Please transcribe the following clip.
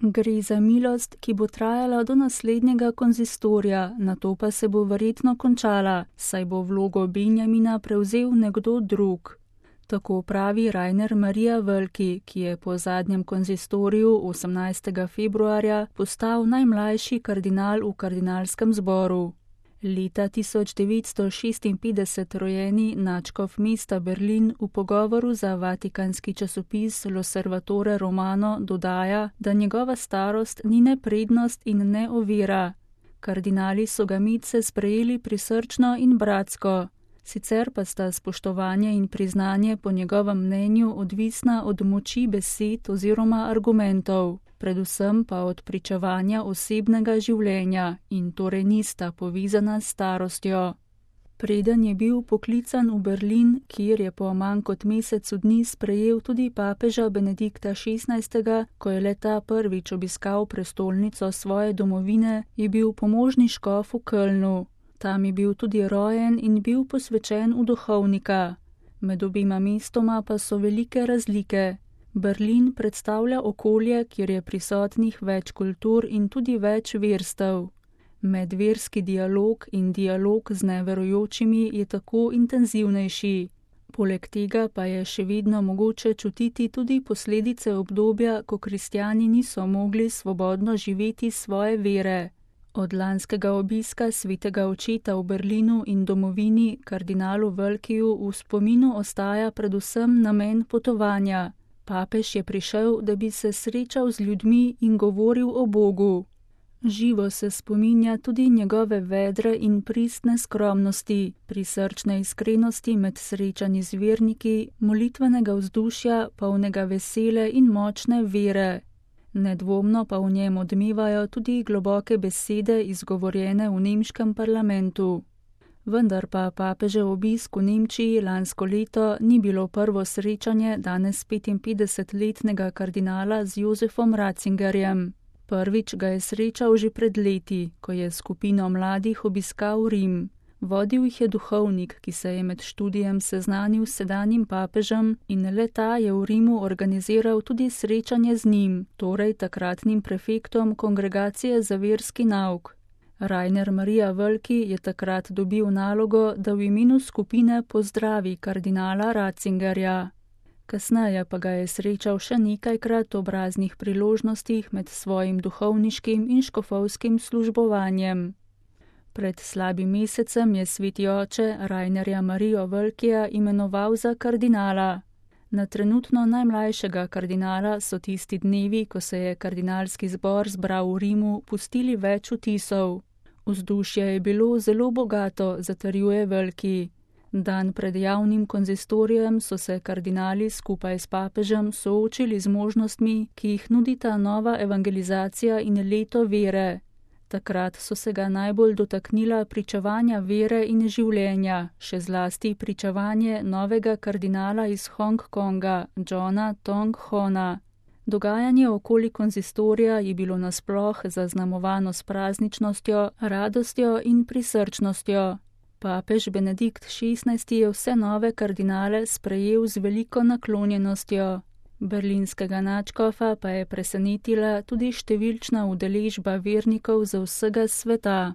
Gre za milost, ki bo trajala do naslednjega konzistorja, nato pa se bo verjetno končala, saj bo vlogo Benjamina prevzel nekdo drug. Tako pravi Rainer Maria Völki, ki je po zadnjem konzistoriju 18. februarja postal najmlajši kardinal v kardinalskem zboru. Leta 1956 rojeni nadškof mesta Berlin v pogovoru za vatikanski časopis L'Osservatore Romano dodaja, da njegova starost ni ne prednost in ne ovira. Kardinali so ga medse sprejeli prisrčno in bratsko. Sicer pa sta spoštovanje in priznanje po njegovem mnenju odvisna od moči besed oziroma argumentov, predvsem pa od pričevanja osebnega življenja in torej nista povezana s starostjo. Preden je bil poklican v Berlin, kjer je po manj kot mesecu dni sprejel tudi papeža Benedikta XVI., ko je le-ta prvič obiskal prestolnico svoje domovine, je bil pomožni škof v Kölnu. Tam je bil tudi rojen in bil posvečen v duhovnika. Med obima mestoma pa so velike razlike. Berlin predstavlja okolje, kjer je prisotnih več kultur in tudi več verstev. Medverski dialog in dialog z neverujočimi je tako intenzivnejši. Poleg tega pa je še vedno mogoče čutiti tudi posledice obdobja, ko kristjani niso mogli svobodno živeti svoje vere. Od lanskega obiska svetega očeta v Berlinu in domovini kardinalu Völkiju v spominu ostaja predvsem namen potovanja. Papež je prišel, da bi se srečal z ljudmi in govoril o Bogu. Živo se spominja tudi njegove vedre in pristne skromnosti, prisrčne iskrenosti med srečanji z verniki, molitvenega vzdušja, polnega vesele in močne vere. Nedvomno pa v njem odmevajo tudi globoke besede izgovorjene v nemškem parlamentu. Vendar pa papežev obisk v Nemčiji lansko leto ni bilo prvo srečanje danes 55-letnega kardinala z Josefom Ratzingerjem. Prvič ga je srečal že pred leti, ko je skupino mladih obiskal Rim. Vodil jih je duhovnik, ki se je med študijem seznanil s sedanjim papežem in le-ta je v Rimu organiziral tudi srečanje z njim, torej takratnim prefektom kongregacije za verski nauk. Rainer Maria Völki je takrat dobil nalogo, da v imenu skupine pozdravi kardinala Ratzingerja. Kasneje pa ga je srečal še nekajkrat ob raznih priložnostih med svojim duhovniškim in škofovskim službovanjem. Pred slabim mesecem je sveti oče Rainerja Marijo Völkija imenoval za kardinala. Na trenutno najmlajšega kardinala so tisti dnevi, ko se je kardinalski zbor zbral v Rimu, pustili več vtisov. Vzdušje je bilo zelo bogato, zatrjuje Völki. Dan pred javnim konzistorijem so se kardinali skupaj s papežem soočili z možnostmi, ki jih nudita nova evangelizacija in leto vere. Takrat so se ga najbolj dotaknila pričevanja vere in življenja, še zlasti pričevanje novega kardinala iz Hong Konga, Johna Tong Hona. Dogajanje okoli konzistorija je bilo nasploh zaznamovano s prazničnostjo, radostjo in prisrčnostjo. Papež Benedikt XVI je vse nove kardinale sprejel z veliko naklonjenostjo. Berlinskega nadškofa pa je presenetila tudi številčna udeležba vernikov z vsega sveta.